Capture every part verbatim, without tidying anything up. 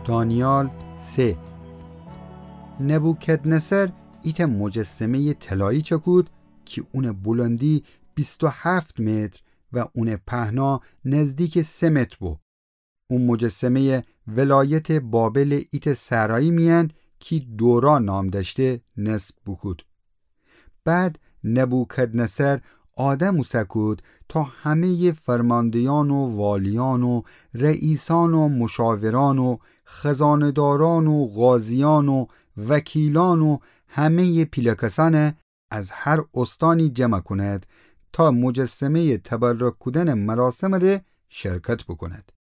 دانیال سه. نبوکدنصر ایتأ مجسمهٔ طلایی چکود کی اونٚ بلندی بیست و هفت متر و اونٚ پهنا نزدیکٚ سه متر بو. او مجسمهٔ ولایتٚ بابلٚ ایتأ صحرایی میأن کی دورا نام دأشته نصب بوکود. بعد نبوکدنصر آدم اوسه کود تا همهٔ فرماندهیأن و والیأن و رئیسأن و مشاورأن و خزانه‌دارأن و قاضیأن و وکیلأن و همهٔ پیله کسأن از هر استانی جمع کند تا مجسمهٔ تبرک کودنٚ مراسمٚ ره شرکت بوکوند.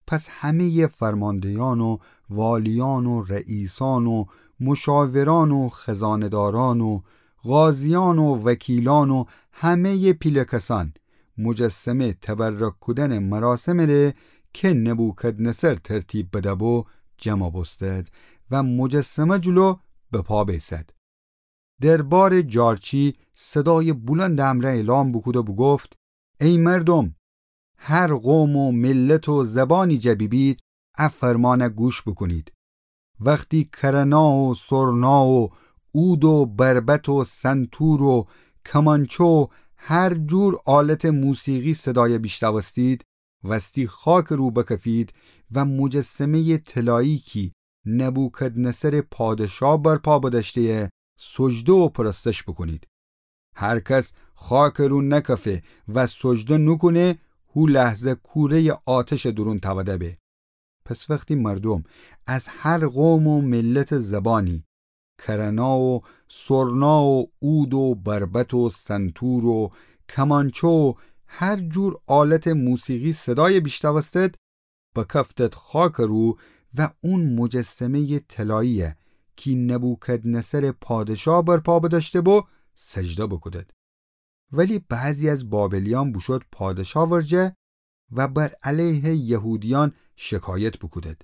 پس همهٔ فرماندهیأن و والیأن و رئیسأن و مشاورأن و خزانه‌دارأن و قاضیأن و وکیلأن و همهٔ پیله کسأن مجسمه تبرک کودنٚ مراسمٚ ره کی نبوکدنصر ترتیب بده بو جمع بوستد و مجسمه جلو به پا بیسد. دربارٚ جارچی صدایٚ بلندٚ امرأ اعلام بوکود و بوگفت: ای مردم، هر قوم و ملت و زبانی جا بیبید، ا فرمانه گوش بوکونید. وختی کرنا و سرنا و عود و بربط و سنتور و کمانچه و هر جور آلتٚ موسیقی صدای بیشتوستید، وستی خاکٚ رو بکفید و مجسمهٔ طلایی کی نبوکدنصرٚ پادشا برپا بدأشته‌یه سجده و پرستش بوکونید. هر کس خاکٚ رو نکفه و سجده نوکونه، هو لحظه کورهٔ آتشٚ دورون تأوده به. پس وختی مردم از هر قوم و ملتٚ زبانی، کرنا و سرنا و عود و بربط و سنتور و کمانچه و هر جور آلتٚ موسیقی صدای بیشتوستد، بکفتد خاکٚ رو و اون مجسمهٔ طلایی‌یه کی نبوکدنصرٚ پادشا برپا بدأشته بو، سجده بوکودد. ولی بعضی از بابلیأن بوشود پادشا ورجه و بر علیه یهودیأن شکایت بوکودد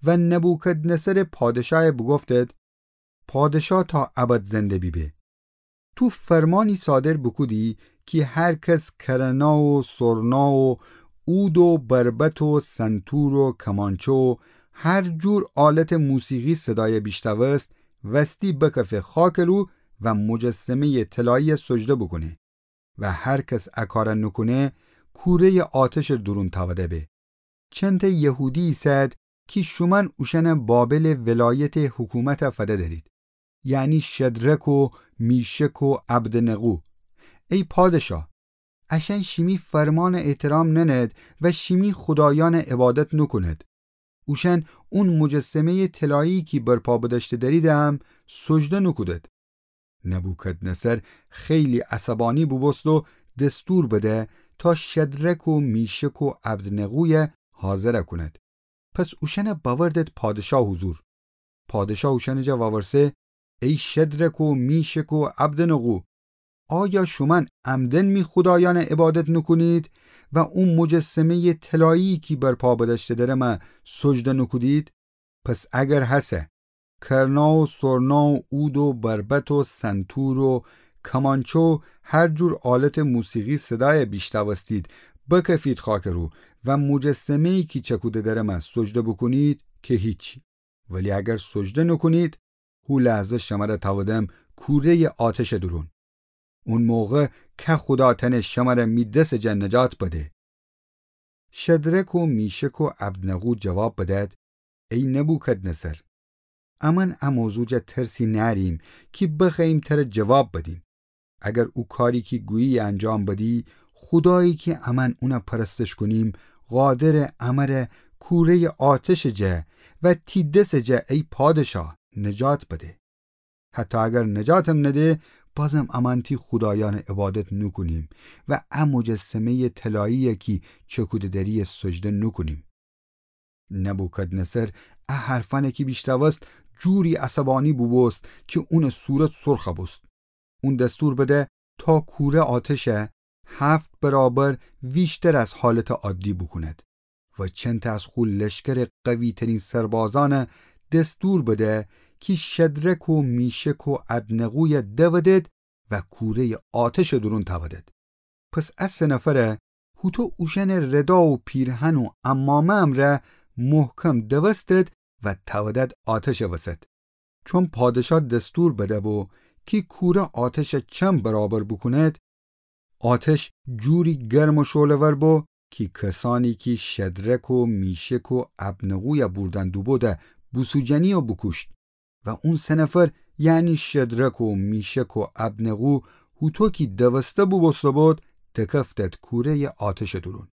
و نبوکدنصرٚ پادشایه بوگفتد: پادشا تا ابد زنده بیبه. تو فرمانی صادر بوکودی کی هر کس کرنا و سرنا و عود و بربط و سنتور و کمانچه و هر جور آلتٚ موسیقی صدای بیشتوست، وستی بکفه خاکٚ رو و مجسمهٔ طلایی‌یه سجده بوکونه و هر کس ا کار نوکونه، کورهٔ آتشٚ دورون تأوده به. چنته یهودی ایسد کی شومأن اوشأنٚ بابلٚ ولایتٚ حکومت فده دأرید، یعنی شدرک و میشک و عبدنغو. ای پادشا، اشأن شیمی فرمانٚ احترام ننید و شیمی خودایأنٚ عبادت نوکوند. اوشأن اون مجسمهٔ طلایی کی برپا بدأشته دأریدم سجده نوکودد. نبوکدنصر خیلی عصبانی بوبوست و دستور بده تا شدرک و میشک و عبدنغویه حاضر کونید. پس اوشأنه بأوردد پادشا حضور. پادشا اوشأنٚ جا وورسه: ای شدرک و میشک و عبدنغو، آیا شومأن عمدن می خودایأنه عبادت نوکونید و او مجسمهٔ طلایی کی برپا بدأشته درمه سجده نوکودید؟ پس اگر هسه کرنا و سرنا و عود و بربط و سنتور و کمانچه و هر جور آلتٚ موسیقی صدایه بیشتوستید، بکفید خاکٚ رو و مجسمه‌یی کی چکوده درمه سجده بوکونید که هیچی. ولی اگر سجده نوکونید، هو لحظه شمره تأودم کورهٔ آتشٚ دورون. اون موقع که خودا تأنه شمره می دسٚ جا نجات بده؟ شدرک و میشک و عبدنغو جواب بدد: ای نبوکدنصر، امأن ا موضوع جا ترسی نأریم کی بخوأییم تره جواب بدیم. اگر او کاری کی گویی انجام بدی، خودایی کی امأن اونه پرستش کونیم، قادره امره کورهٔ آتشٚ جا و تی دسٚ جا، ای پادشا، نجات بده. حتی اگر نجاتم نده، بازم امأن تی خودایأنٚ عبادت نوکونیم و ا مجسمهٔ طلایی‌یه کی چکوده دری‌یه سجده نوکونیم. نبوکدنصر ا حرفأنه کی بیشتوست جوری عصبانی بوبوست کی اونٚ صورت سرخ بوست. اون دستور بده تا کوره آتشه هفت برابر ویشتر از حالتٚ عادی بوکوند و چنته از خو لشکرٚ قوی‌ترین سربازأنه دستور بده کی شدرک و میشک و عبدنغویه دودد و کورهٔ آتشٚ دورون تأودد. پس ا سه نفره هوطو اوشأنٚ ردا و پیرهن و عمامه امرأ محکم دوستد و تودد آتشٚ وسط. چون پادشا دستور بده‌بو کی کوره آتشَ چند برابر بوکوند، آتش جوری گرم و شعله‌ور بو کی کسأنی کی شدرک و میشک و ابدنغویَ بوردن دوبوده بوسوجنی و بوکوشت. و اون سه نفر، یعنی شدرک و میشک و ابدنغو، هوطو کی دوسته بوبوسته بود، دکفتد کوره‌یٚ آتشٚ دورون.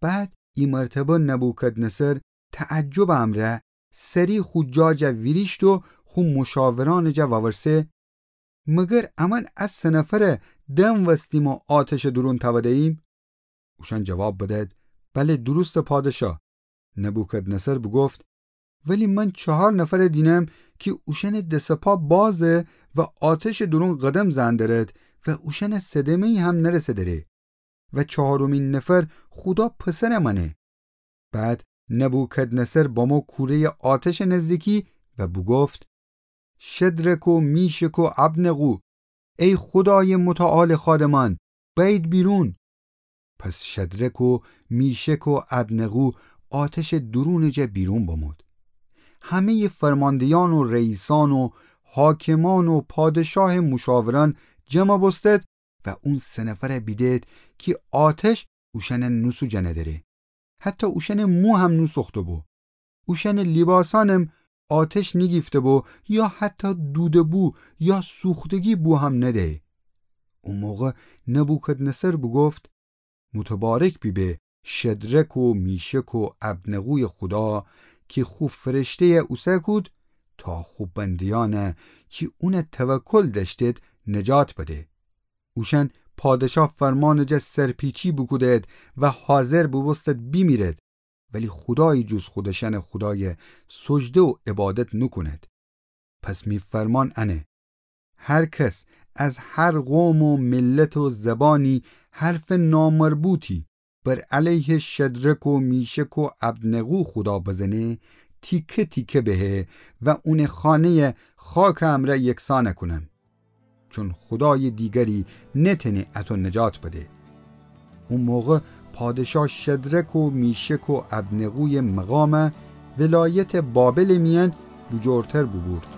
بعد ایمرتبه نبوکدنصر تعجبٚ امرأ سری خو جا جا ویریشت و خو مشاورأنٚ جا وورسه: مگر امأن ا سه نفرَ دنوستیم و آتشٚ دورون توده‌ییم؟ اوشأن جواب بدد: بله، درسته پادشا. نبوکدنصر بوگفت: ولی من چهار نفرَ دینم کی اوشأنٚ دس و پا بازه و آتشٚ دورون قدم زئن درد و اوشأنَ صدمه‌یی هم نرسه دره. و چهارمی نفر خودا پسرٚ مأنه. بعد نبوکدنصر بامو کوره‌یٚ آتشٚ نزدیکی و بوگفت: شدرک و میشک و ابدنغو، ای خودایٚ متعالٚ خادمأن، بأیید بیرون. پس شدرک و میشک و ابدنغو آتشٚ دورونٚ جا بیرون بمود. همه‌یٚ فرمانده‌یأن و رئیسأن و حاکمأن و پادشاهٚ مشاورأن جمع بوستد و اون سه نفرَ بیدید کی آتش اوشأنَ نوسوجأنه دره. حتی اوشأنٚ مو هم نوسوخته‌بو. اوشأنٚ لیباسأنم آتش نیگیفته‌بو یا حتی دودٚ بو یا سوختگی بو هم ندیی. او موقع نبوکدنصر بوگفت: متبارک بیبه شدرک و میشک و ابدنغویٚ خودا کی خو فرشته‌یَ اوسه کود تا خو بنده‌یأنَ کی اونَ توکل دأشتید نجات بده. اوشأن پادشا فرمانٚ جا سرپیچی بوکودید و حاضر بوبوستید بیمیرید، ولی خودایی جز خودشأنٚ خودایَ سجده و عبادت نوکونید. پس می فرمان انه: هر کس از هر قوم و ملت و زبانی حرفٚ نامربوطی بر علیه شدرک و میشک و ابدنغو خودا بزنه، تیکه تیکه بهه و اونٚ خانه‌یَ خاکٚ امرأ یکسان کونم. چون خودایٚ دیگری نتأنه اطو نجات بده. او موقع پادشا شدرک و میشک و ابدنغویٚ مقام ولایتٚ بابلٚ میأن بوجورتر بوبورد